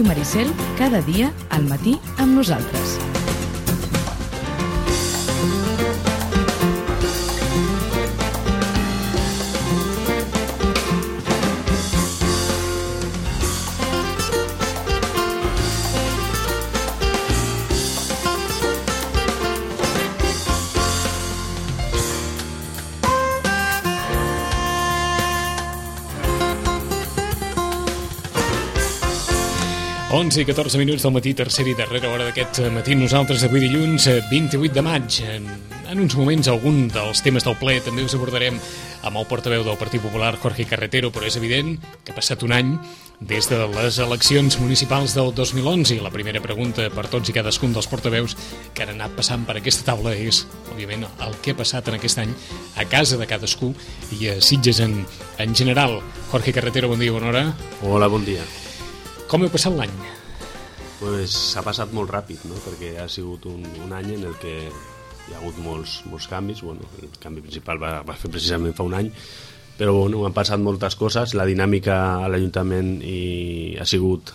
Ràdio Maricel, cada dia al matí amb nosaltres. I 14 minuts del matí, tercera i darrera hora d'aquest matí. Nosaltres avui dilluns 28 de maig. En uns moments algun dels temes del ple també us abordarem amb el portaveu del Partit Popular, Jorge Carretero, però és evident que ha passat un any des de les eleccions municipals del 2011 i la primera pregunta per tots i cadascun dels portaveus que han anat passant per aquesta taula és, òbviament, el que ha passat en aquest any a casa de cadascú i a Sitges en general. Jorge Carretero, bon dia, bona hora. Hola, bon dia. Com heu passat l'any? Pues s'ha passat molt ràpid, no? Perquè ha sigut un any en el que hi ha hagut molts canvis. Bueno, el canvi principal va fer precisament fa un any, però bueno, han passat moltes coses. La dinàmica a l'Ajuntament ha sigut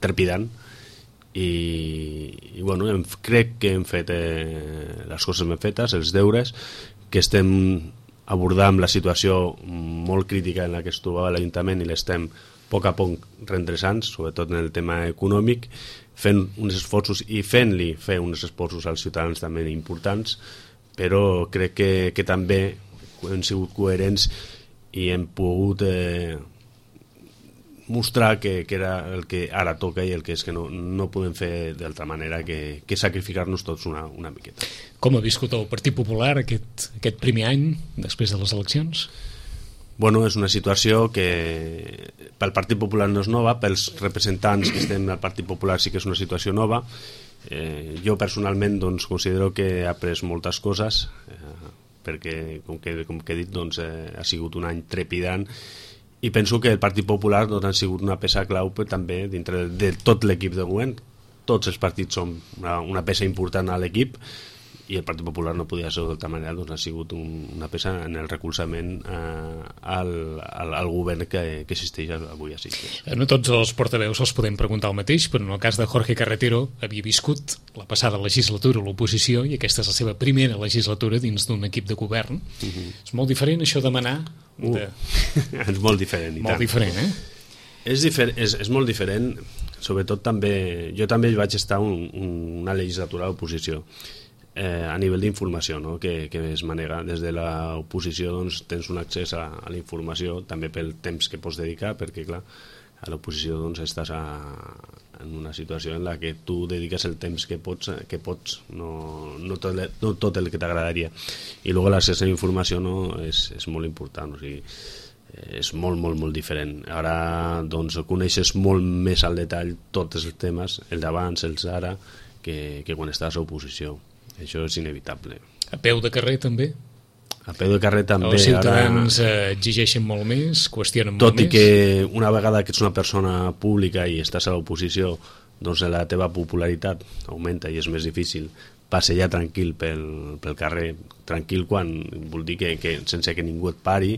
trepidant i bueno, crec que hem fet les coses ben fetes, els deures, que estem abordant la situació molt crítica en la que es trobava l'Ajuntament i l'estem a poc redreçant, sobretot en el tema econòmic, fent uns esforços i fent-li fer uns esforços als ciutadans també importants, però crec que també hem sigut coherents i hem pogut mostrar que era el que ara toca i el que és que no podem fer d'altra manera que sacrificar-nos tots una miqueta. Com ha viscut el Partit Popular aquest primer any després de les eleccions? Bueno, és una situació que pel Partit Popular no és nova, pels representants que estem al Partit Popular sí que és una situació nova. Jo personalment doncs, considero que he après moltes coses, perquè, com que he dit, doncs, ha sigut un any trepidant i penso que el Partit Popular doncs, ha sigut una peça clau però també dintre de tot l'equip de govern. Tots els partits són una peça important a l'equip i el Partit Popular no podia ser d'altra manera, doncs ha sigut una peça en el recolzament al govern que existeix avui a Sitges. No tots els portaveus els podem preguntar el mateix, però en el cas de Jorge Carretero havia viscut la passada legislatura a l'oposició i aquesta és la seva primera legislatura dins d'un equip de govern. És molt diferent això de manar? És molt diferent. Molt diferent, eh? És molt diferent, sobretot també... Jo també vaig estar una legislatura a l'oposició. A nivell d'informació, no? que es manega des de l'oposició, doncs, tens un accés a la informació també pel temps que pots dedicar, perquè clar, a l'oposició doncs, estàs en una situació en la que tu dediques el temps que pots no tot el que t'agradaria, i després l'accés a la informació és molt important, o sigui, és molt diferent. Ara doncs, coneixes molt més al detall tots els temes, el d'abans, els d'ara, que quan estàs a l'oposició. Això és inevitable. A peu de carrer també? A peu de carrer també. Els ciutadans exigeixen molt més, qüestionen molt més. Tot i que una vegada que ets una persona pública i estàs a l'oposició, doncs la teva popularitat augmenta i és més difícil passejar tranquil pel carrer, tranquil quan vol dir que sense que ningú et pari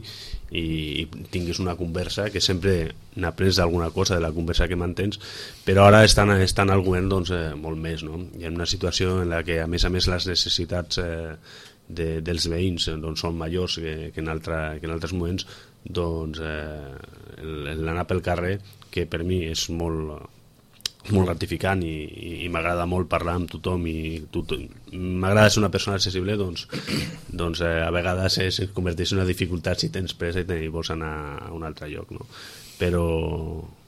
i tinguis una conversa, que sempre n'aprens alguna cosa de la conversa que mantens, però ara estan al govern doncs, molt més, no? Hi ha una situació en la que a més les necessitats dels veïns doncs, són majors que en altres moments, doncs l'anar pel carrer, que per mi és molt gratificant i m'agrada molt parlar amb tothom i m'agrada ser una persona accessible, doncs a vegades es converteix en una dificultat si tens pressa i vols anar a un altre lloc, no? Però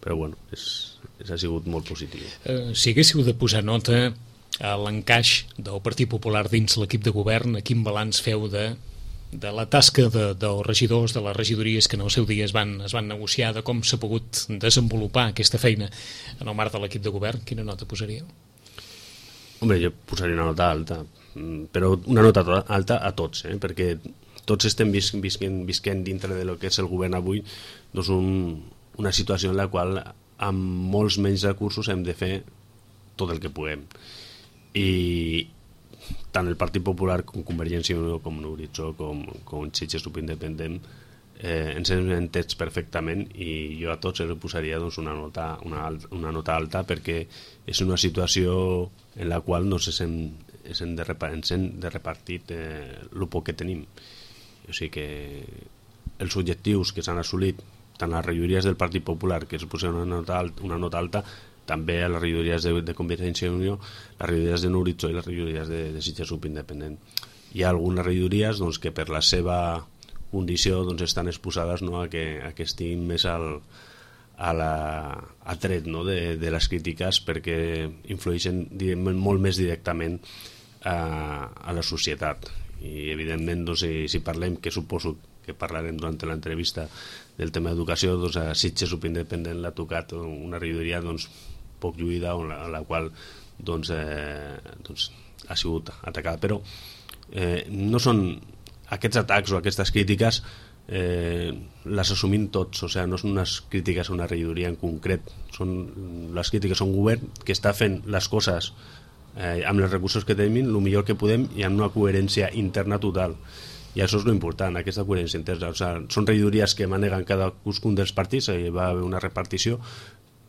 bueno, ha sigut molt positiu. Si haguéssiu de posar nota a l'encaix del Partit Popular dins l'equip de govern, quin balanç feu de la tasca dels regidors, de les regidories que en el seu dia es van negociar, de com s'ha pogut desenvolupar aquesta feina en el marc de l'equip de govern? Quina nota posaríeu? Home, jo posaria una nota alta, però una nota alta a tots, perquè tots estem visquent dintre de lo que és el govern avui, doncs una situació en la qual amb molts menys recursos hem de fer tot el que puguem. I tant el Partit Popular com Convergència i Unió, com l'Horitzó, com Sitges Independent, ens hem entès perfectament i jo a tots els posaria doncs, una nota alta perquè és una situació en la qual no ens hem de repartir el poc que tenim. O sigui que els objectius que s'han assolit tant a les regidories del Partit Popular, que es posen una nota alta, també a les regidories de Convergència i Unió, les regidories de Nou Horitzó i les regidories de Sitges Subindependent. Hi ha algunes regidories doncs, que per la seva condició doncs, estan exposades a que estiguin més al tret de les crítiques perquè influeixen molt més directament a la societat. I evidentment doncs, si parlem, que suposo que parlarem durant l'entrevista del tema d'educació, doncs a Sitges Subindependent l'ha tocat una regidoria doncs, poc lluïda a la qual doncs, ha sigut atacada, però no són aquests atacs o aquestes crítiques les assumim tots, o sigui, no són unes crítiques a una regidoria en concret, les crítiques a un govern que està fent les coses amb els recursos que tenim el millor que podem i amb una coherència interna total, i això és l'important, aquesta coherència interna. O sigui, són regidories que maneguen cadascun dels partits, va haver una repartició,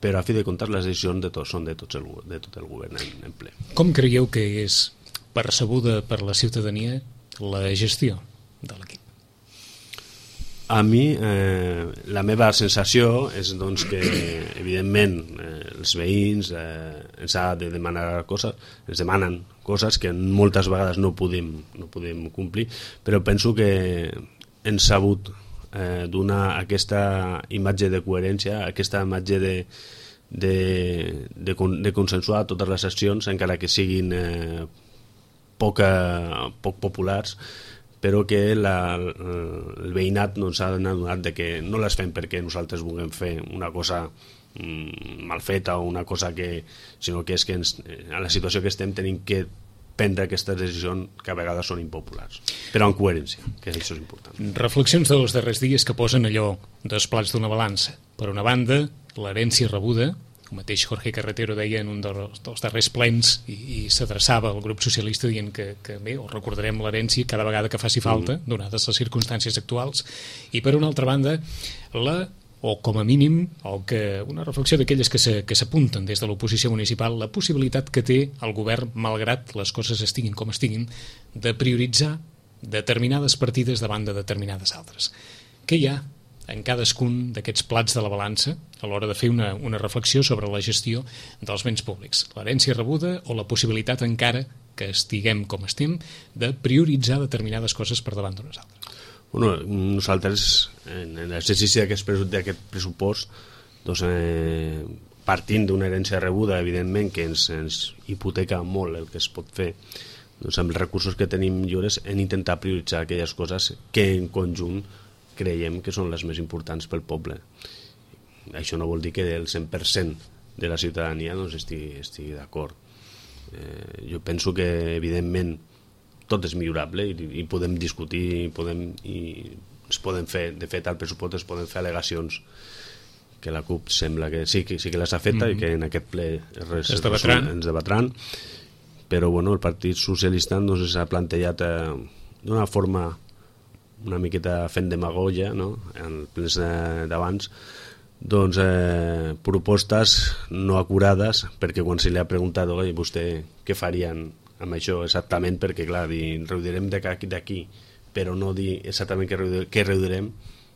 però a fi de comptes les decisions són de tot el govern en ple. Com creieu que és percebuda per la ciutadania la gestió de l'equip? A mi, la meva sensació és doncs, que, evidentment, els veïns ens ha de demanar coses, ens demanen coses que moltes vegades no podem complir, però penso que hem sabut donar aquesta imatge de coherència, aquesta imatge de consensuar totes les accions, encara que siguin poc populars, però que el veïnat no s'ha adonat que no les fem perquè nosaltres vulguem fer una cosa mal feta o una cosa sinó que és que a la situació que estem tenim que prendre aquestes decisions que a vegades són impopulars, però amb coherència, que això és important. Reflexions dels darrers dies que posen allò dos plats d'una balança. Per una banda, l'herència rebuda, el mateix Jorge Carretero deia en un dels darrers plens i s'adreçava al grup socialista dient que bé, o recordarem l'herència cada vegada que faci falta, donades les circumstàncies actuals, i per una altra banda o com a mínim una reflexió d'aquelles que s'apunten des de l'oposició municipal, la possibilitat que té el govern, malgrat les coses estiguin com estiguin, de prioritzar determinades partides davant de determinades altres. Què hi ha en cadascun d'aquests plats de la balança a l'hora de fer una reflexió sobre la gestió dels béns públics? L'herència rebuda o la possibilitat, encara que estiguem com estem, de prioritzar determinades coses per davant d'unes altres? Bueno, nosaltres, en l'exercici d'aquest pressupost, doncs, partint d'una herència rebuda, evidentment, que ens hipoteca molt el que es pot fer, doncs amb els recursos que tenim lliures hem d'intentar prioritzar aquelles coses que en conjunt creiem que són les més importants pel poble. Això no vol dir que el 100% de la ciutadania doncs, estigui d'acord. Jo penso que, evidentment, tot és millorable i podem discutir i es poden fer, de fet, al pressupost es poden fer al·legacions que la CUP sembla que sí que les ha fet i que en aquest ple ens debatran, però bueno, el Partit Socialista doncs, s'ha plantejat d'una forma una miqueta fent demagogia, no? En els plens d'abans, doncs propostes no acurades, perquè quan se li ha preguntat vostè què farien amb això exactament, perquè clar, reduirem d'aquí, però no dir exactament què reduirem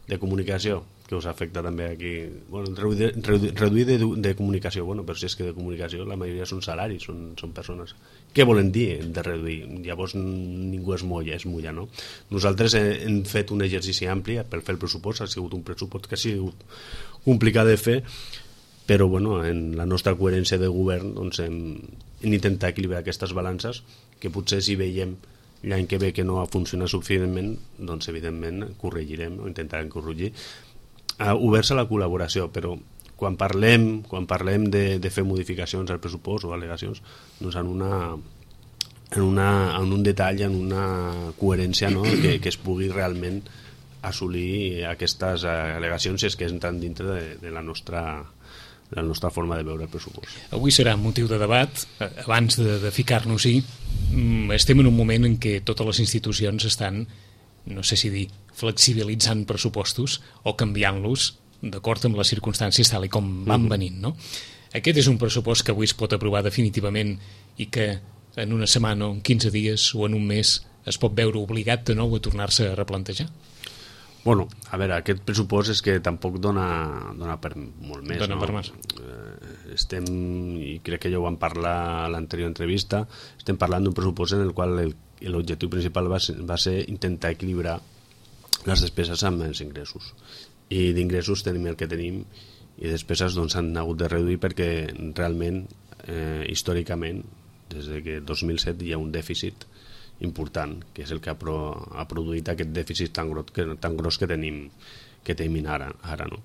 de comunicació, que us afecta també aquí. Bueno, reduir de comunicació, bueno, però si és que de comunicació la majoria són salaris, són persones. Què volen dir de reduir? Llavors ningú es mulla, no? Nosaltres hem fet un exercici ampli per fer el pressupost, ha sigut un pressupost que ha sigut complicat de fer, però bueno, en la nostra coherència de govern doncs, hem intentat equilibrar aquestes balances, que potser si veiem l'any que ve que no ha funcionat suficientment, doncs evidentment corregirem o intentarem corregir, oberts a la col·laboració, però quan parlem de fer modificacions al pressupost o al·legacions, doncs en un detall, en una coherència, no? que es pugui realment assolir aquestes al·legacions si és que entren dintre de la nostra forma de veure el pressupost. Avui serà motiu de debat. Abans de ficar-nos-hi, estem en un moment en què totes les institucions estan, no sé si dir flexibilitzant pressupostos o canviant-los d'acord amb les circumstàncies tal i com van venint, no? Aquest és un pressupost que avui es pot aprovar definitivament i que en una setmana o en 15 dies o en un mes es pot veure obligat de nou a tornar-se a replantejar? Bueno, a veure, aquest pressupost és que tampoc dona per molt més. Dona per més. Estem, i crec que ja ho vam parlar a l'anterior entrevista, estem parlant d'un pressupost en el qual l'objectiu principal va ser intentar equilibrar les despeses amb els ingressos. I d'ingressos tenim el que tenim i despeses doncs s'han hagut de reduir perquè realment, històricament, des que 2007 hi ha un dèficit important, que és el que ha produït aquest dèficit tan gros que tenim ara, no?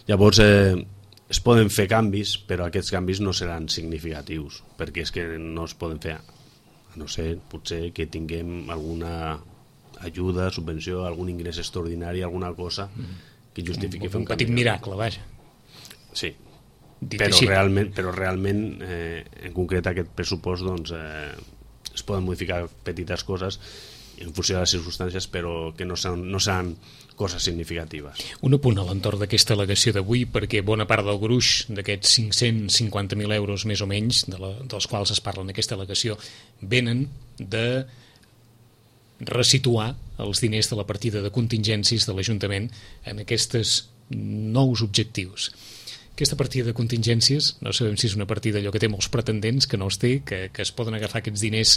Llavors, es poden fer canvis, però aquests canvis no seran significatius, perquè és que no es poden fer, a no ser, potser, que tinguem alguna ajuda, subvenció, algun ingrés extraordinari, alguna cosa que justifiqui fer un petit miracle, vaja. Sí, però realment en concret aquest pressupost doncs es poden modificar petites coses en funció de les circumstàncies, però que no seran coses significatives. Un apunt a l'entorn d'aquesta al·legació d'avui, perquè bona part del gruix d'aquests 550.000 euros més o menys, dels quals es parla en aquesta al·legació, venen de resituar els diners de la partida de contingències de l'Ajuntament en aquests nous objectius. Aquesta partida de contingències, no sabem si és una partida allò que té molts pretendents, que no els té, que es poden agafar aquests diners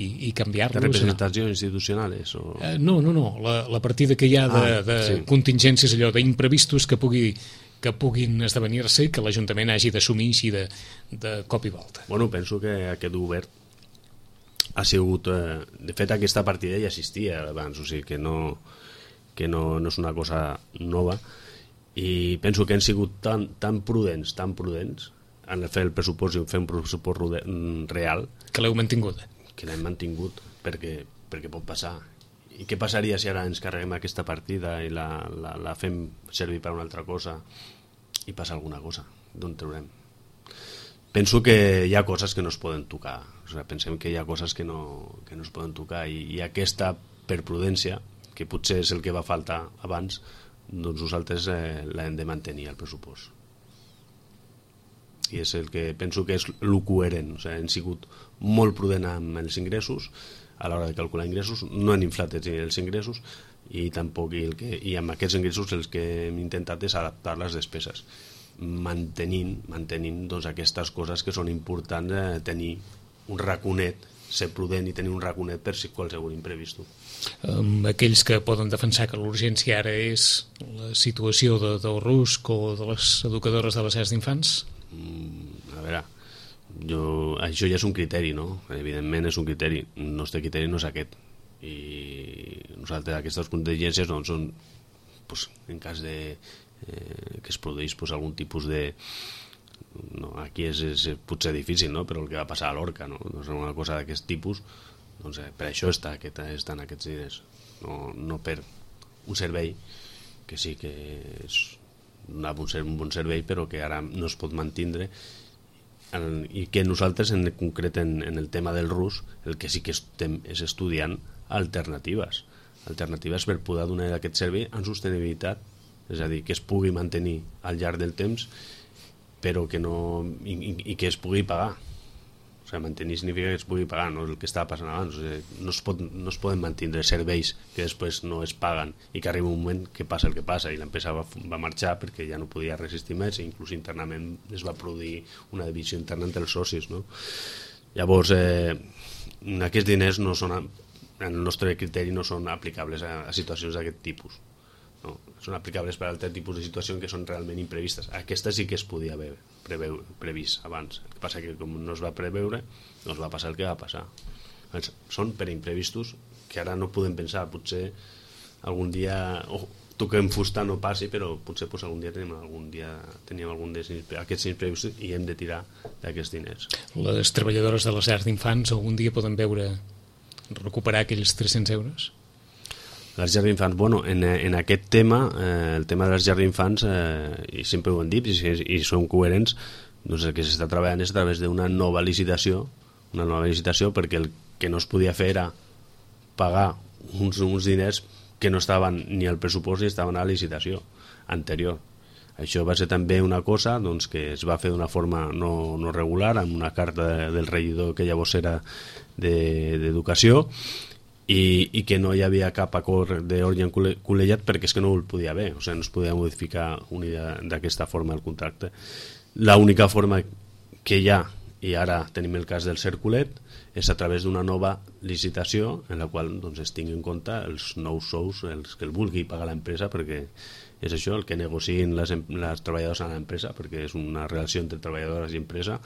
i canviar-los. De representació institucionals? O... No, la partida que hi ha de contingències, allò d'imprevistos que puguin esdevenir-se i que l'Ajuntament hagi d'assumir així de cop i volta. Bueno, penso que aquest govern ha sigut... de fet, aquesta partida ja existia abans, o sigui que no és una cosa nova, i penso que han sigut tan prudents en fer el pressupost i fer un pressupost real que l'heu mantingut. Que l'hem mantingut perquè pot passar. I què passaria si ara ens carreguem aquesta partida i la fem servir per una altra cosa i passa alguna cosa? D'on traurem? Penso que hi ha coses que no es poden tocar. O sigui, pensem que hi ha coses que no es poden tocar i aquesta, per prudència, que potser és el que va faltar abans, doncs nosaltres l'hem de mantenir al pressupost. I és el que penso que és el coherent. O sigui, hem sigut molt prudent amb els ingressos a l'hora de calcular ingressos, no han inflat els ingressos i tampoc i amb aquests ingressos els que hem intentat és adaptar les despeses, mantenint doncs, aquestes coses que són importants, tenir un raconet, ser prudent i tenir un raconet per si qualsevol imprevist. Aquells que poden defensar que l'urgència ara és la situació del RUSC o de les educadores de les llars d'infants? A veure, això ja és un criteri, no? Evidentment és un criteri. El nostre criteri no és aquest. I nosaltres aquestes contingències doncs, són en cas de que es produeix algun tipus de... No, aquí és potser difícil, no? Però el que va passar a l'Orca, no? Doncs una cosa d'aquest tipus, doncs, per això estan aquests diners, no per un servei que sí que donava un bon servei però que ara no es pot mantindre i que nosaltres en concret en el tema del RUS el que sí que estem és estudiant alternatives per poder donar aquest servei en sostenibilitat, és a dir, que es pugui mantenir al llarg del temps però que no i que es pugui pagar. O sigui, mantenir significa que es pugui pagar, no el que estava passant abans. O sigui, no es poden mantindre serveis que després no es paguen i que arriba un moment que passa el que passa i l'empresa va marxar perquè ja no podia resistir més i inclús internament es va produir una divisió interna entre els socis, no? Llavors, aquests diners no són, en el nostre criteri no són aplicables a situacions d'aquest tipus. No, són aplicables per a altres tipus de situacions que són realment imprevistes. Aquesta sí que es podia haver previst abans. El que passa que com no es va preveure, doncs va passar el que va passar. Són per imprevistos que ara no podem pensar. Potser algun dia toquem fusta, no passi, però potser algun dia tenim algun d'aquests imprevistos i hem de tirar d'aquests diners. Les treballadores de les llars d'infants algun dia poden veure recuperar aquells 300 euros? Les llars d'infants, bueno, en aquest tema, el tema de les llars d'infants, i sempre ho hem dit, i som coherents, doncs el que s'està treballant és a través d'una nova licitació, perquè el que no es podia fer era pagar uns diners que no estaven ni al pressupost ni estaven a la licitació anterior. Això va ser també una cosa doncs, que es va fer d'una forma no regular, amb una carta del regidor que llavors era d'Educació, i que no hi havia cap acord d'ordre col·legiat perquè és que no el podia haver, o sigui, no es podia modificar d'aquesta forma el contracte. L'única forma que hi ha, i ara tenim el cas del Cerculet, és a través d'una nova licitació en la qual doncs, es tingui en compte els nous sous, els que el vulgui pagar l'empresa, perquè és això, el que negociïn les treballadors a l'empresa, perquè és una relació entre treballadores i empresa,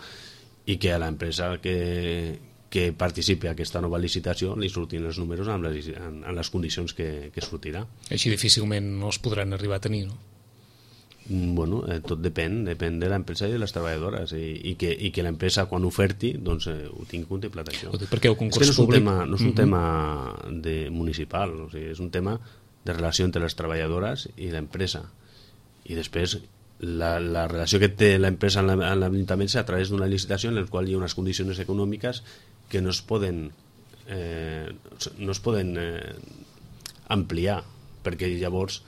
i que a l'empresa que participi en aquesta nova licitació li surtin els números en les condicions que sortirà. Així difícilment no els podran arribar a tenir, no? Bueno, tot depèn de l'empresa i de les treballadores, i que l'empresa quan oferti doncs, ho tingui contemplat això. Perquè el concurs públic... No és un tema municipal, o sigui, és un tema de relació entre les treballadores i l'empresa, i després la relació que té l'empresa amb l'Ajuntament és a través d'una licitació en la qual hi ha unes condicions econòmiques que no es poden ampliar, perquè llavors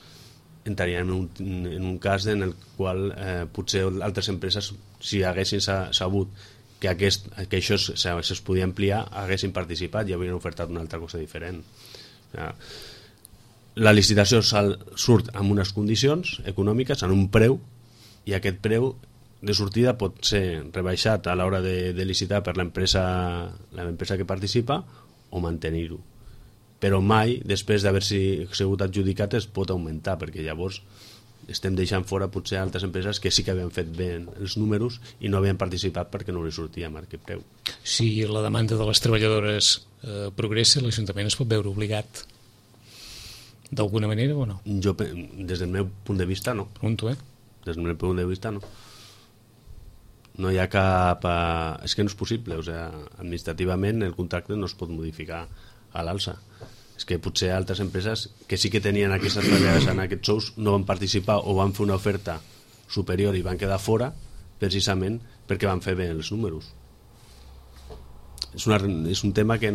entraríem en un cas en el qual potser altres empreses, si haguessin sabut que això es podia ampliar, haguessin participat i haurien ofertat una altra cosa diferent. La licitació surt amb unes condicions econòmiques, en un preu, i aquest preu de sortida pot ser rebaixat a l'hora de licitar per l'empresa que participa o mantenir-ho. Però mai, després d'haver sigut adjudicat, es pot augmentar, perquè llavors estem deixant fora potser altres empreses que sí que havien fet bé els números i no havien participat perquè no li sortia amb aquest preu. Si la demanda de les treballadores progressa, l'Ajuntament es pot veure obligat d'alguna manera o no? Jo, des del meu punt de vista, no. Pregunto, Des del meu punt de vista, no. No hi ha cap... És que no és possible, o sigui, administrativament el contracte no es pot modificar a l'alça. És que potser altres empreses que sí que tenien aquestes treballadores en aquests sous no van participar o van fer una oferta superior i van quedar fora precisament perquè van fer bé els números. És un tema que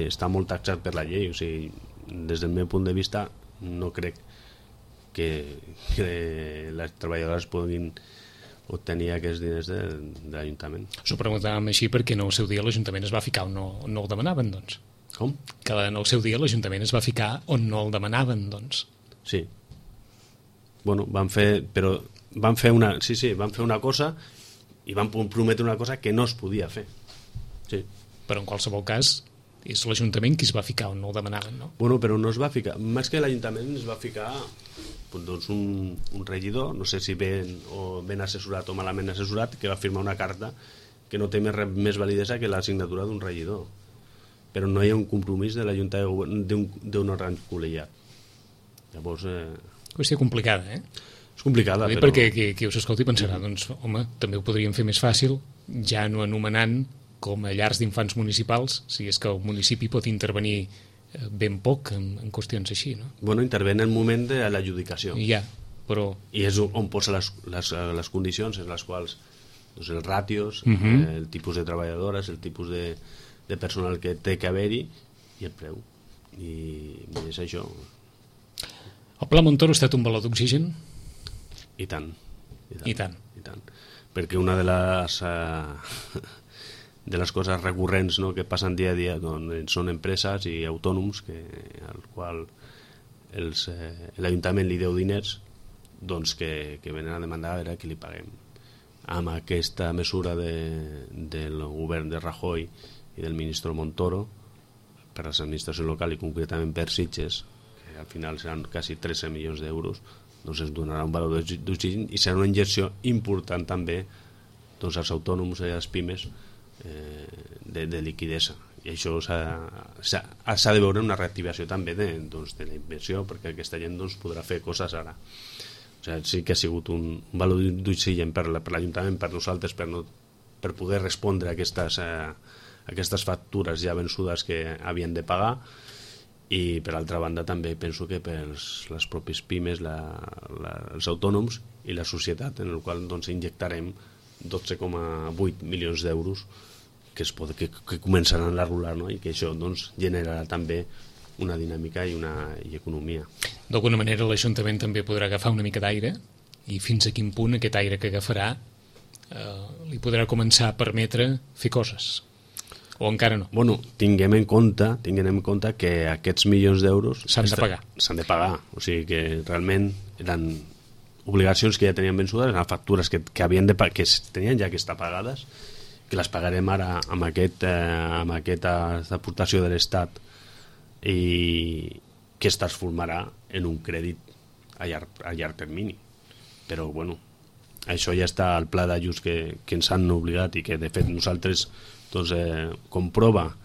està molt taxat per la llei, o sigui, des del meu punt de vista no crec que les treballadores puguin obtenir aquests diners de l'Ajuntament. S'ho preguntàvem així perquè en el seu dia l'Ajuntament es va ficar on no el demanaven, doncs. Com? Que en el seu dia l'Ajuntament es va ficar on no el demanaven, doncs. Sí. Bueno, van fer una cosa i van prometre una cosa que no es podia fer. Sí. Però en qualsevol cas és l'Ajuntament qui es va ficar on no el demanaven, no? Bueno, però no es va ficar, més que l'Ajuntament es va ficar doncs un regidor, no sé si ben assessorat o malament assessorat, que va firmar una carta que no té més validesa que la signatura d'un regidor, però no hi ha un compromís de la Junta de Govern d'un òrgan col·legiat. Llavors... Qüestió complicada, És complicada, però... Perquè qui us escolti pensarà, doncs, home, també ho podríem fer més fàcil, ja no anomenant com a llars d'infants municipals, si és que el municipi pot intervenir ben poc en qüestions així, no? Bueno, intervé en el moment de l'adjudicació. Ja, però... I és on posa les condicions en les quals doncs, els ràtios, el tipus de treballadores, el tipus de personal que té que haver-hi i el preu. I és això. El Pla Montoro ha estat un baló d'oxigen? I tant. I tant. Perquè una de les coses recurrents, no, que passen dia a dia doncs, són empreses i autònoms al qual l'Ajuntament li deu diners, doncs que venen a demandar a veure qui li paguem. Amb aquesta mesura del govern de Rajoy i del ministre Montoro per a l'administració local i concretament per Sitges, que al final seran quasi 13 milions d'euros, doncs es donarà un valor d'oxigen i serà una injecció important també doncs, als autònoms i a les pimes de liquidesa, i això s'ha de veure una reactivació també de la inversió, perquè aquesta gent doncs, podrà fer coses ara. O sigui, sí que ha sigut un valor d'oxigen per l'Ajuntament, per nosaltres, per poder respondre a aquestes factures ja vençudes que havien de pagar, i per altra banda també penso que per les pròpies pimes, els autònoms i la societat, en el qual doncs, injectarem 12,8 milions d'euros que començaran a rolar, no? I que això doncs, generarà també una dinàmica i economia. D'alguna manera l'Ajuntament també podrà agafar una mica d'aire, i fins a quin punt aquest aire que agafarà li podrà començar a permetre fer coses, o encara no? Bueno, tinguem en compte que aquests milions d'euros s'han de pagar, o sigui que realment eren obligacions que ja tenien vençudes, eren factures que tenien ja que estar pagades, que les pagarem ara amb aquesta aportació de l'Estat i que es transformarà en un crèdit a llarg termini. Però bueno, això ja està al pla d'ajuts que ens han obligat i que de fet nosaltres doncs, comprova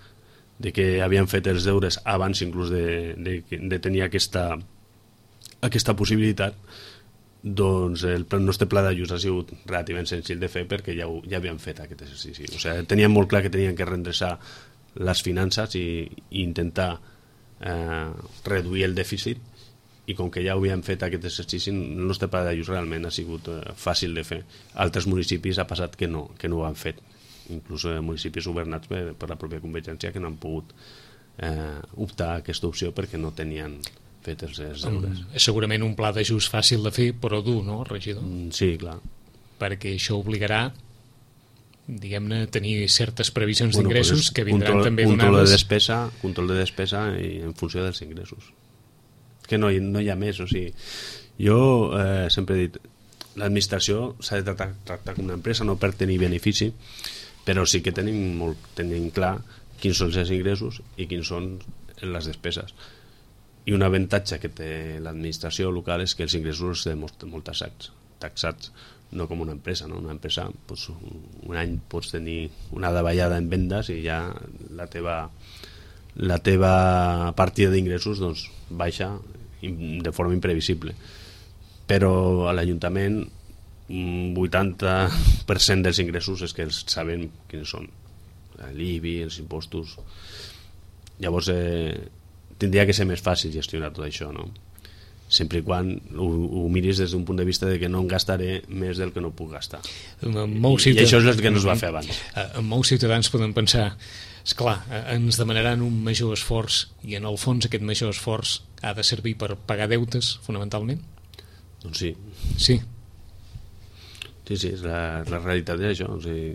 de que havien fet els deures abans inclús de tenir aquesta possibilitat. Doncs el nostre pla d'ajuts ha sigut relativament senzill de fer perquè ja havien fet aquest exercici. O sigui, tenien molt clar que tenien que redreçar les finances i intentar reduir el dèficit, i com que ja ho havien fet aquest exercici, el nostre pla d'ajuts realment ha sigut fàcil de fer. Altres municipis ha passat que no ho han fet, inclús municipis governats per la pròpia Convergència que no han pogut optar a aquesta opció perquè no tenien fet els deures. És segurament un pla d'ajust fàcil de fer, però dur, no, regidor? Sí, clar. Perquè això obligarà, diguem-ne, a tenir certes previsions d'ingressos que vindran també donades... Control de despesa i en funció dels ingressos. Que no hi ha més, o sigui, jo sempre he dit, l'administració s'ha de tractar com una empresa, no per tenir benefici, però sí que tenim clar quins són els ingressos i quins són les despeses. I un avantatge que té l'administració local és que els ingressos els té molt taxats, no com una empresa, no? Una empresa, doncs, un any pots tenir una davallada en vendes i ja la teva partida d'ingressos doncs, baixa de forma imprevisible. Però a l'Ajuntament 80% dels ingressos és que els sabem quins són, l'IBI, els impostos. Llavors tindria que ser més fàcil gestionar tot això, no? Sempre i quan ho miris des d'un punt de vista de que no em gastaré més del que no puc gastar. I això és el que no es va fer abans. Molts ciutadans poden pensar, esclar, ens demanaran un major esforç, i en el fons aquest major esforç ha de servir per pagar deutes, fonamentalment? Doncs sí. Sí? Sí, la realitat és això. O sigui,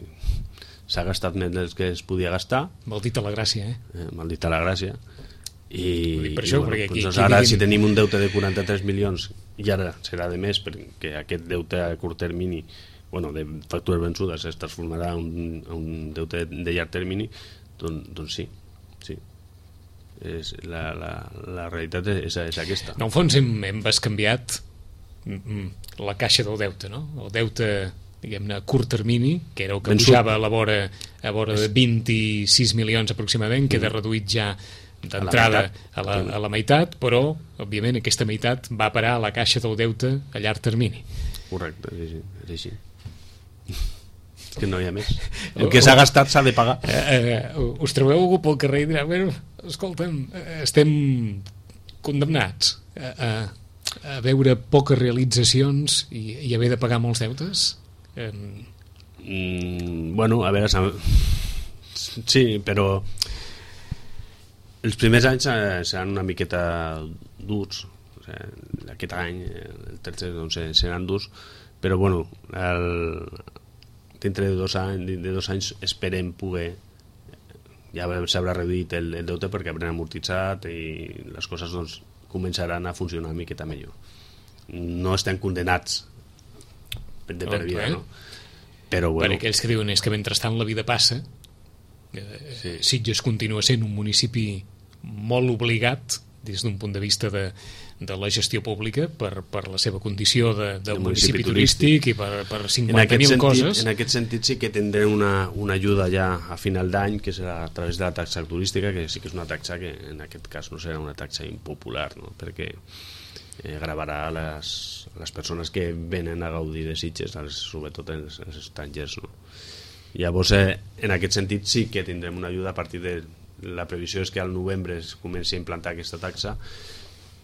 s'ha gastat més del que es podia gastar. Maldita la gràcia, maldita la gràcia. I per això, bueno, perquè doncs ara si tenim un deute de 43 milions i ara serà de més perquè aquest deute a curt termini, bueno, de factures vençudes es transformarà en un deute de llarg termini, doncs sí. La realitat és aquesta. En el fons hem bescanviat la caixa del deute, no? El deute, diguem-ne, a curt termini, que era el que pujava a la vora de 26 milions aproximadament, queda reduït ja d'entrada a la meitat, però òbviament aquesta meitat va parar a la caixa del deute a llarg termini. Correcte, és així. Que no hi ha més. El que s'ha gastat s'ha de pagar. Us trobeu algú pel carrer i dirà, bueno, escolta'm, estem condemnats a veure poques realitzacions i haver de pagar molts deutes? Bueno, a veure, sí, però els primers anys seran una miqueta durs. O sigui, aquest any, el tercer, doncs, seran durs, però bueno, dintre de 2 anys esperem poder, ja s'haurà reduït el deute perquè haurem amortitzat i les coses doncs, començaran a funcionar una miqueta millor. No estem condenats de per vida, no? Però bueno, per aquells que diuen és que mentrestant la vida passa, Sitges continua sent un municipi molt obligat des d'un punt de vista de la gestió pública per la seva condició de municipi turístic i per 50.000 coses. En aquest sentit sí que tindrem una ajuda ja a final d'any, que serà a través de la taxa turística, que sí que és una taxa que en aquest cas no serà una taxa impopular, no? Perquè gravarà les persones que venen a gaudir de Sitges, sobretot els estrangers, no? Llavors, en aquest sentit sí que tindrem una ajuda a partir de... La previsió és que al novembre es comenci a implantar aquesta taxa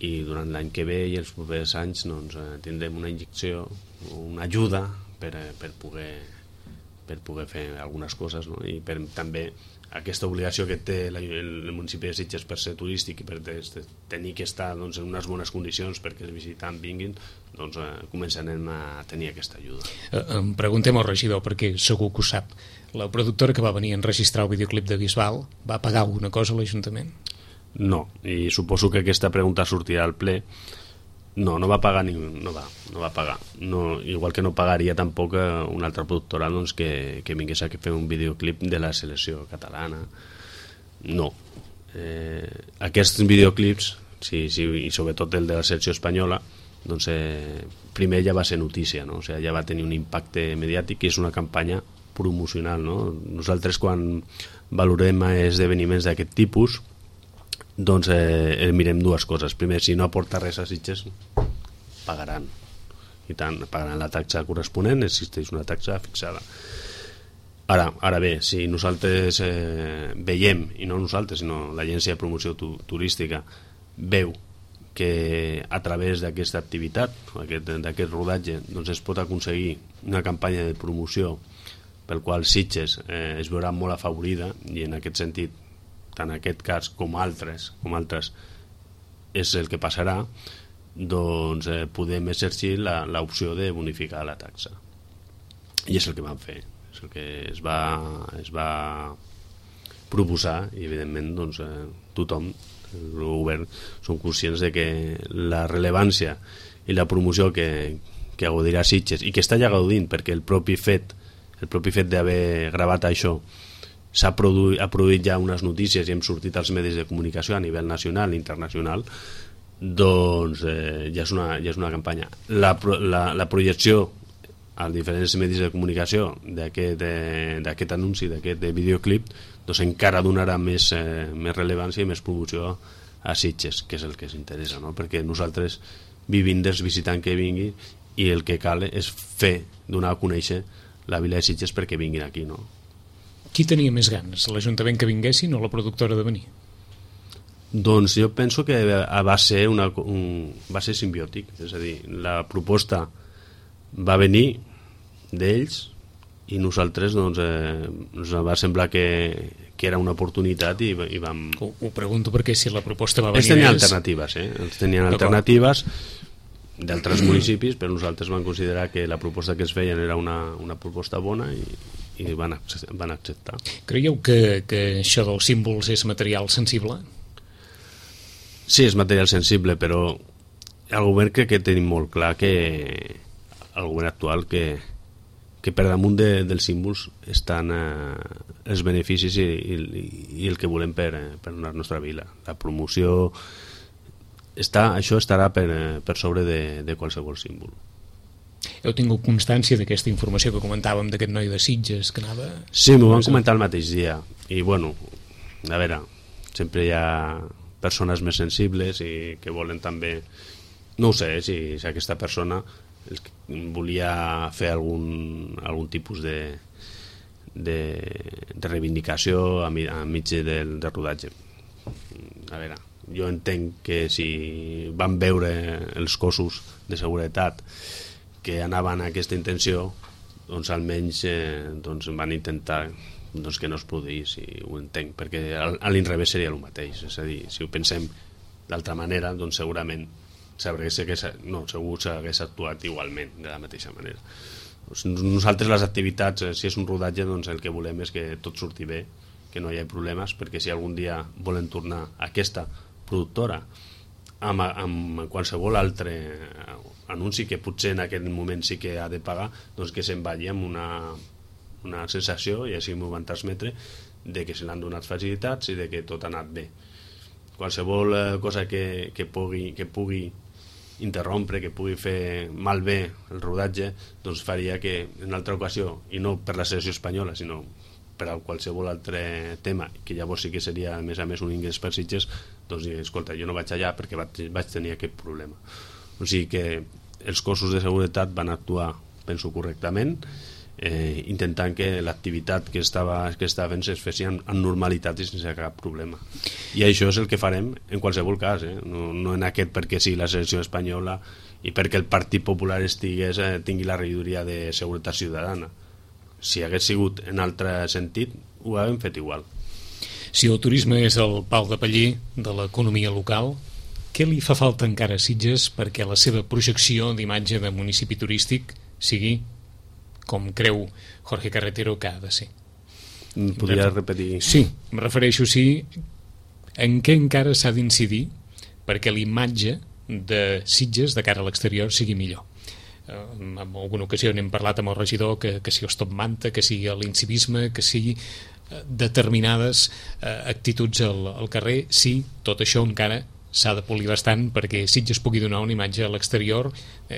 i durant l'any que ve i els propers anys doncs, tindrem una injecció, una ajuda per poder per poder fer algunes coses, no? I també aquesta obligació que té el municipi de Sitges per ser turístic i per tenir que estar doncs, en unes bones condicions perquè els visitants vinguin, doncs començarem a tenir aquesta ajuda. Em preguntem al regidor, perquè segur que ho sap. La productora que va venir a enregistrar el videoclip de Bisbal va pagar alguna cosa a l'Ajuntament? No, i suposo que aquesta pregunta sortirà al ple. No va pagar no va pagar. No, igual que no pagaria tampoc una altra productora doncs, que vingués a fer un videoclip de la selecció catalana. No. Aquests videoclips, sí, i sobretot el de la selecció espanyola, doncs, primer ja va ser notícia, no? O sigui, ja va tenir un impacte mediàtic i és una campanya promocional, no? Nosaltres quan valorem esdeveniments d'aquest tipus doncs mirem dues coses. Primer, si no aporta res a Sitges, pagaran. I tant, pagaran la taxa corresponent, existeix una taxa fixada. Ara bé, si nosaltres veiem, i no nosaltres, sinó l'Agència de Promoció Turística veu que a través d'aquesta activitat, d'aquest rodatge, doncs es pot aconseguir una campanya de promoció pel qual Sitges es veurà molt afavorida, i en aquest sentit tant en aquest cas com altres és el que passarà, doncs podem exercir l'opció de bonificar la taxa, i és el que vam fer, és el que es va proposar, i evidentment doncs, tothom, el govern, són conscients de que la rellevància i la promoció que gaudirà Sitges, i que està ja gaudint, perquè el propi fet d'haver gravat això ha produït ja unes notícies i hem sortit als medis de comunicació a nivell nacional i internacional, doncs ja és una campanya. La projecció als diferents medis de comunicació d'aquest anunci, d'aquest videoclip, doncs encara donarà més rellevància i més promoció a Sitges, que és el que ens interessa, no? Perquè nosaltres vivim dels visitants que vinguin, i el que cal és donar a conèixer la vila de Sitges perquè vinguin aquí, no? Qui tenia més ganes, l'Ajuntament que vinguessin o la productora de venir? Doncs jo penso que va ser simbiòtic, és a dir, la proposta va venir d'ells i nosaltres doncs, ens va semblar que era una oportunitat i vam... Ho pregunto perquè si la proposta va venir... Ells tenien alternatives, ells tenien alternatives d'altres municipis, però nosaltres vam considerar que la proposta que es feien era una proposta bona i van acceptar. Creieu que això dels símbols és material sensible? Sí, és material sensible, però el govern crec que tenim molt clar que el govern actual que per damunt dels símbols estan els beneficis i el que volem per la nostra vila. La promoció, això estarà per sobre de qualsevol símbol. Heu tingut constància d'aquesta informació que comentàvem d'aquest noi de Sitges que anava... Sí, m'ho van comentar el mateix dia. I bueno, a veure, sempre hi ha persones més sensibles i que volen també... No ho sé, si aquesta persona volia fer algun tipus de reivindicació enmig del rodatge. A veure, jo entenc que si van veure els cossos de seguretat que anaven a aquesta intenció, doncs almenys van intentar que no es produís, i ho entenc, perquè a l'inrevés seria el mateix. És a dir, si ho pensem d'altra manera, doncs segurament segur s'hagués actuat igualment, de la mateixa manera. Nosaltres les activitats, si és un rodatge, doncs el que volem és que tot surti bé, que no hi hagi problemes, perquè si algun dia volen tornar a aquesta productora amb qualsevol altre anunci que potser en aquell moment sí que ha de pagar, doncs que se'n vagi amb una sensació, i així m'ho van transmetre, de que se l'han donat facilitats i de que tot ha anat bé. Qualsevol cosa que pugui interrompre, que pugui fer malbé el rodatge, doncs faria que en altra ocasió, i no per la selecció espanyola, sinó per a qualsevol altre tema, que llavors sí que seria a més un ingrés per Sitges, doncs escolta, jo no vaig allà perquè vaig tenir aquest problema. O sigui que els cossos de seguretat van actuar, penso, correctament, intentant que l'activitat que estava fent es fes amb normalitat i sense cap problema. I això és el que farem en qualsevol cas, no en aquest perquè sí la selecció espanyola i perquè el Partit Popular tingui la regidoria de Seguretat Ciutadana, si hagués sigut en altre sentit, ho haguem fet igual. Si el turisme és el pal de paller de l'economia local, què li fa falta encara a Sitges perquè la seva projecció d'imatge de municipi turístic sigui com creu Jorge Carretero que ha de ser? Podria repetir? Sí, em refereixo en què encara s'ha d'incidir perquè l'imatge de Sitges de cara a l'exterior sigui millor. En alguna ocasió n'hem parlat amb el regidor que sigui el stop manta, que sigui l'incivisme, que sigui determinades actituds al carrer. Sí, tot això encara s'ha de polir bastant perquè Sitges pugui donar una imatge a l'exterior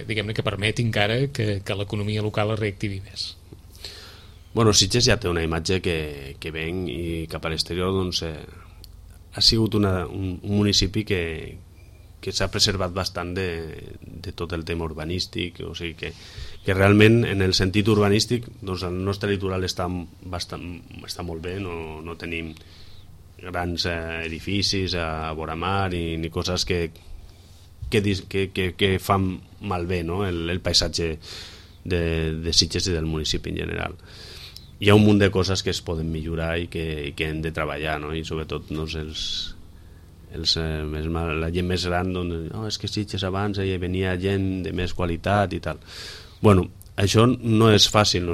diguem-ne que permeti encara que l'economia local es reactivi més. Bueno, Sitges ja té una imatge que ven i cap a l'exterior doncs, ha sigut un municipi que s'ha preservat bastant de tot el tema urbanístic, o sigui que realment en el sentit urbanístic doncs el nostre litoral està molt bé, no tenim grans edificis a vora mar ni coses que fan malbé, no? el paisatge de Sitges i del municipi en general. Hi ha un munt de coses que es poden millorar i que hem de treballar, no? I sobretot doncs, la gent més gran doncs, és que Sitges abans hi venia gent de més qualitat i tal. Bueno, això no és fàcil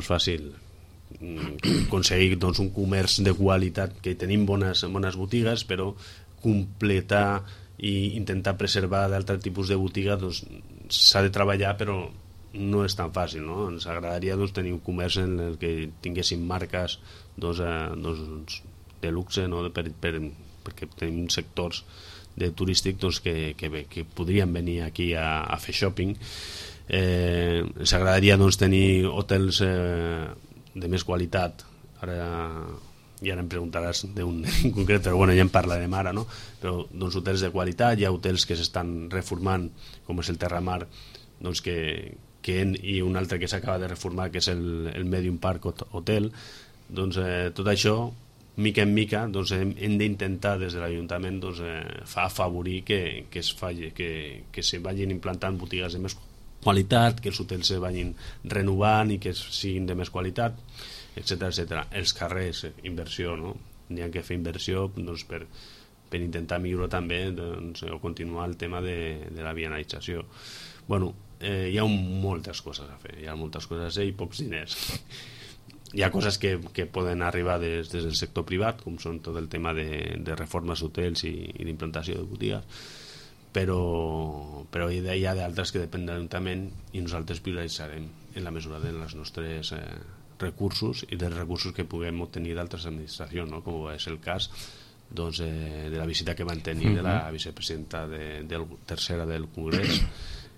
aconseguir doncs, un comerç de qualitat, que tenim bones botigues, però completar i intentar preservar d'altre tipus de botiga doncs, s'ha de treballar, però no és tan fàcil, no? Ens agradaria doncs, tenir un comerç en el que tinguéssim marques de luxe, no? Perquè tenim sectors turístics doncs, que podrien venir aquí a fer shopping. Ens agradaria doncs, tenir hotels de més qualitat. Ara em preguntaràs d'un en concret, però bueno, ja en parlarem ara, no? Però doncs, hotels de qualitat, hi ha hotels que s'estan reformant, com és el Terramar, doncs, i un altre que s'acaba de reformar, que és el Medium Park Hotel. Doncs, tot això, mica en mica, doncs, hem d'intentar des de l'Ajuntament doncs, afavorir que se vagin implantant botigues de més qualitat, que els hotels se vagin renovant i que siguin de més qualitat, etc. Els carrers, inversió, no? N'hi ha que fer inversió doncs, per intentar millorar també doncs, o continuar el tema de la vianalització. Bueno, hi ha moltes coses a fer, i pocs diners. Hi ha coses que poden arribar des del sector privat, com són tot el tema de reformes d'hotels i d'implantació de botigues, però hi ha d'altres que depèn de l'Ajuntament i nosaltres prioritzarem en la mesura dels nostres recursos i dels recursos que puguem obtenir d'altres administracions, no? Com és el cas doncs, de la visita que van tenir de la vicepresidenta tercera del Congrés,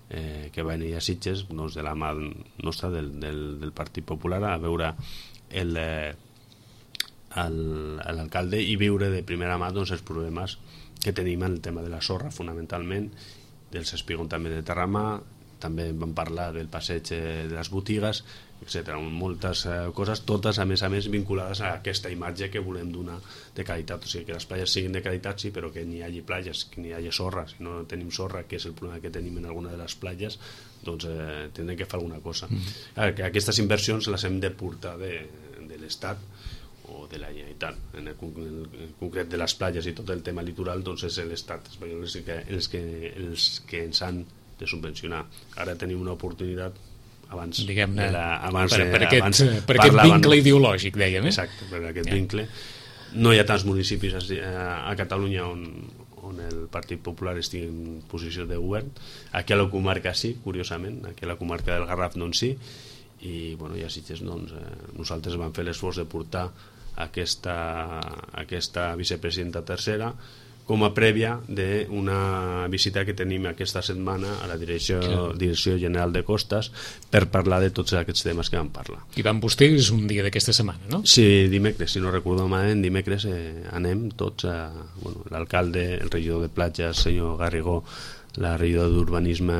que va venir a Sitges doncs, de la mà nostra del Partit Popular a veure l'alcalde i viure de primera mà doncs, els problemes que tenim en el tema de la sorra fonamentalment, dels espigons també de Terramar, també vam parlar del passeig de les botigues, etc. Moltes coses, totes a més vinculades a aquesta imatge que volem donar de qualitat, o sigui que les platges siguin de qualitat sí, però que n'hi hagi platges, que n'hi hagi sorra. Si no tenim sorra, que és el problema que tenim en alguna de les platges, doncs tindrem que fer alguna cosa. Que aquestes inversions les hem de portar de l'Estat o de la Generalitat. En el concret de les platges i tot el tema litoral doncs és l'Estat espanyol els que ens han de subvencionar. Ara tenim una oportunitat abans per aquest vincle ideològic, dèiem. Exacte, per aquest vincle. No hi ha tants municipis a Catalunya on el Partit Popular estigui en posició de govern. Aquí a la comarca sí, curiosament, aquí a la comarca del Garraf doncs sí, i bueno, ja Sitges doncs, nosaltres vam fer l'esforç de portar aquesta vicepresidenta tercera com a prèvia d'una visita que tenim aquesta setmana a la Direcció General de Costes per parlar de tots aquests temes que vam parlar. I van vostès un dia d'aquesta setmana, no? Sí, dimecres, si no recordo malament, dimecres anem tots, l'alcalde, el regidor de platges, senyor Garrigó, la regidora d'Urbanisme,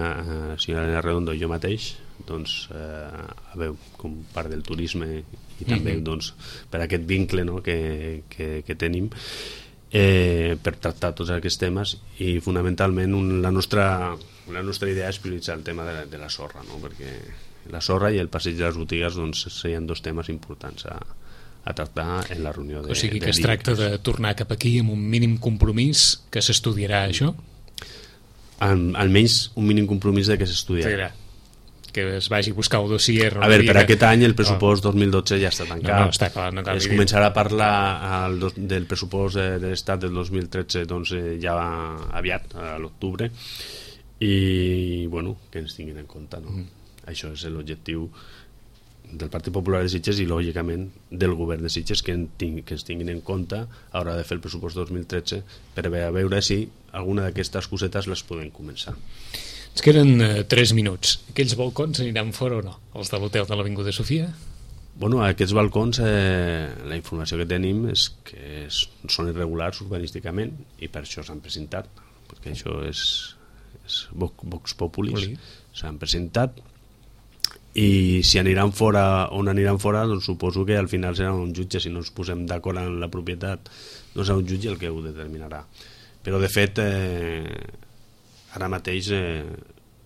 senyora Elena Redondo, i jo mateix, doncs, a veure, com part del turisme i també doncs, per aquest vincle, no, que tenim, per tractar tots aquests temes, i fonamentalment la nostra idea és prioritzar el tema de la sorra, no? Perquè la sorra i el passeig de les botigues doncs, serien dos temes importants a tractar en la reunió de... O sigui que es tracta de tornar cap aquí amb un mínim compromís que s'estudiarà això? Almenys un mínim compromís de que s'estudiarà. Que es vagi a buscar el dossier. A veure, per aquest any el pressupost 2012 ja està tancat. No, està clar, no cal es començarà a parlar del pressupost de l'Estat del 2013 doncs, ja aviat, a l'octubre, i bueno, que ens tinguin en compte, no? Això és l'objectiu del Partit Popular de Sitges i lògicament del govern de Sitges, que ens tinguin en compte a l'hora de fer el pressupost 2013 per veure si alguna d'aquestes cosetes les podem començar. Ens queden 3 minuts. Aquells balcons aniran fora o no? Els de l'hotel de l'Avinguda Sofia? Bueno, aquests balcons, la informació que tenim és que són irregulars urbanísticament i per això s'han presentat, perquè això és Vox Populis. S'han presentat i si aniran fora on aniran fora, doncs suposo que al final serà un jutge. Si no ens posem d'acord en la propietat, no serà un jutge el que ho determinarà. Però de fet ara mateix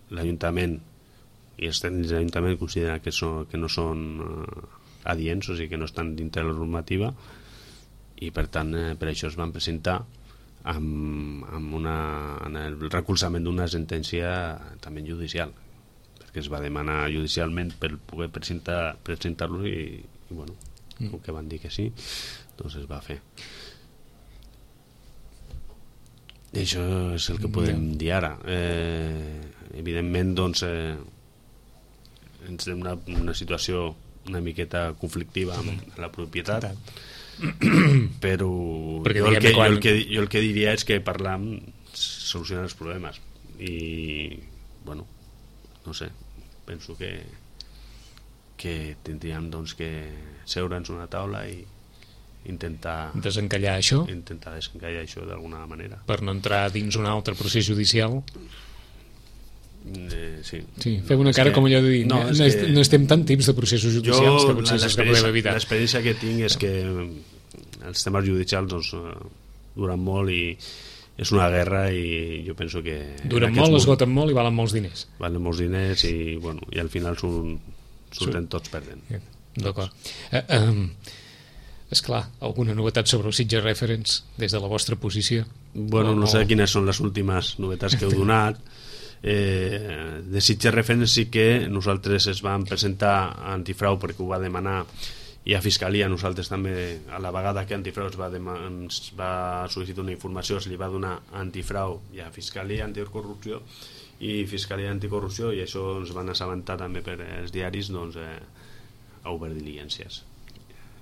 l'Ajuntament i els tècnics de l'Ajuntament consideren que no són adients, o sigui que no estan dintre de la normativa, i per tant per això es van presentar en el recolzament d'una sentència també judicial, perquè es va demanar judicialment per poder presentar-lo i bueno, com que van dir que sí, doncs es va fer. I això és el que podem dir ara. Evidentment doncs ens té una situació una miqueta conflictiva amb la propietat, però jo el que diria és que parlam solucionar els problemes i bueno, no sé, penso que tindríem doncs que seure'ns una taula i intentar desencallar això d'alguna manera per no entrar dins un altre procés judicial. Sí, fem una cara com allò de dir no estem tant temps de processos judicials que potser és que podem evitar. L'experiència que tinc és que els temes judicials doncs, duren molt i és una guerra i jo penso que duren molt, esgoten molt i valen molts diners i, bueno, i al final surten tots perdent. D'acord. Esclar, alguna novetat sobre el Sitges Reference des de la vostra posició? Bueno, no sé quines són les últimes novetats que heu donat. De Sitges Reference sí que nosaltres es vam presentar a Antifrau perquè ho va demanar, i a Fiscalia nosaltres també, a la vegada que Antifrau ens va sol·licitar una informació, es li va donar a Antifrau i a Fiscalia Anticorrupció i Fiscalia Anticorrupció, i això ens van assabentar també per els diaris, doncs a obert diligències.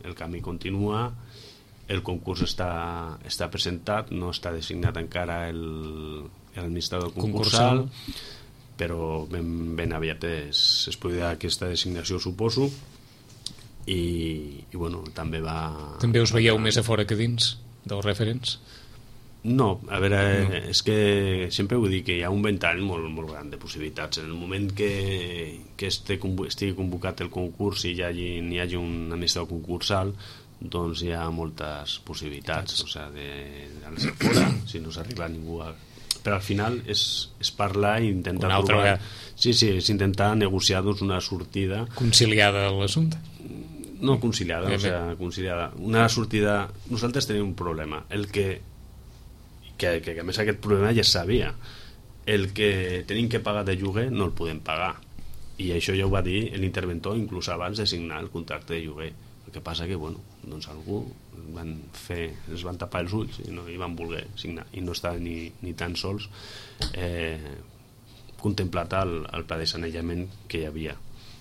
El camí continua, el concurs està presentat, no està designat encara l'administrador concursal, però ben aviat es produirà aquesta designació, suposo, i bueno, també us veieu més a fora que dins del Reference? No, a veure, és que sempre ho dic, que hi ha un ventall molt, molt gran de possibilitats. En el moment que estigui convocat el concurs i n'hi hagi un administrador concursal, doncs hi ha moltes possibilitats, o sigui, d'anar-se fora, si no s'arriba a ningú però al final és parlar i intentar trobar... Sí, és intentar negociar doncs, una sortida conciliada a l'assumpte. No conciliada, o sigui, conciliada. Una sortida... Nosaltres tenim un problema, que a més aquest problema ja es sabia. El que tenim que pagar de lloguer no el podem pagar, i això ja ho va dir l'interventor inclús abans de signar el contracte de lloguer. El que passa que, bueno, doncs algú es van tapar els ulls i no hi van voler signar, i no estava ni tan sols contemplat el pla de sanejament que hi havia,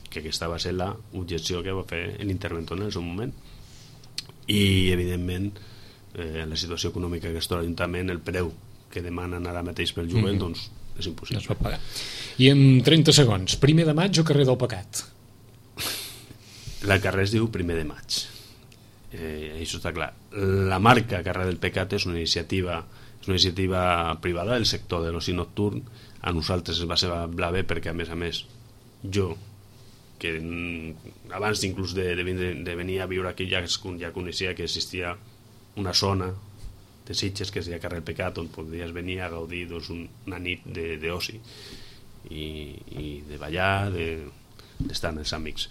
que aquesta va ser l'objecció que va fer l'interventor en el seu moment. I evidentment la situació econòmica que es troba l'Ajuntament, el preu que demanen ara mateix pel lloguer, doncs és impossible. No es pot pagar. I en 30 segons, 1 de maig o carrer del Pecat? El carrer es diu 1 de maig, això està clar. La marca Carrer del Pecat és una iniciativa privada del sector de l'oci nocturn. A nosaltres es va semblar bé perquè, a més, jo, que abans inclús de venir a viure aquí ja coneixia que existia una zona de Sitges que es deia Carrer Pecat, on podries venir a gaudir doncs, una nit d'oci i de ballar, d'estar amb els amics.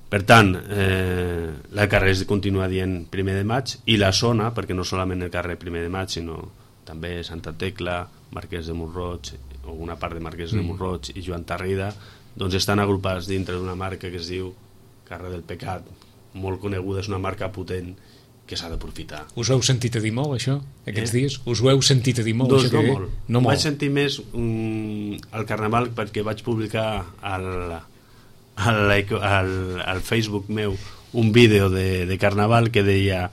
Per tant, el carrer es continua dient 1 de maig, i la zona, perquè no solament el carrer 1 de maig, sinó també Santa Tecla, Marquès de Montroig, o una part de Marquès de Montroig i Joan Tarrida, doncs estan agrupats dintre d'una marca que es diu Carrer del Pecat, molt coneguda, és una marca potent que s'ha d'aprofitar. Us ho heu sentit a dir molt, això, aquests dies? Us ho heu sentit a dir molt? Doncs això no que molt. No molt. Vaig sentir més al Carnaval perquè vaig publicar al Facebook meu un vídeo de Carnaval que deia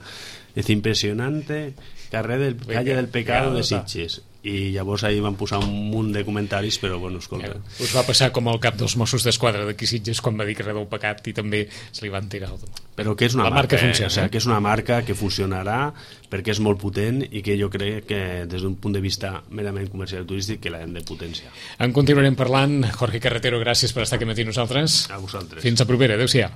es impressionante calle del pecado de Sitges, i llavors ahir van posar un munt de comentaris, però bueno, escolta, us va passar com al cap dels Mossos d'Esquadra d'aquí Sitges quan va dir carrer del pecat i també se li van tirar però que és una la marca funciona, o sigui, que és una marca que funcionarà perquè és molt potent i que jo crec que des d'un punt de vista merament comercial i turístic que l'hem de potenciar. En continuarem parlant. Jorge Carretero, gràcies per estar aquí matí nosaltres. A vosaltres. Fins a propera, adeu-siau.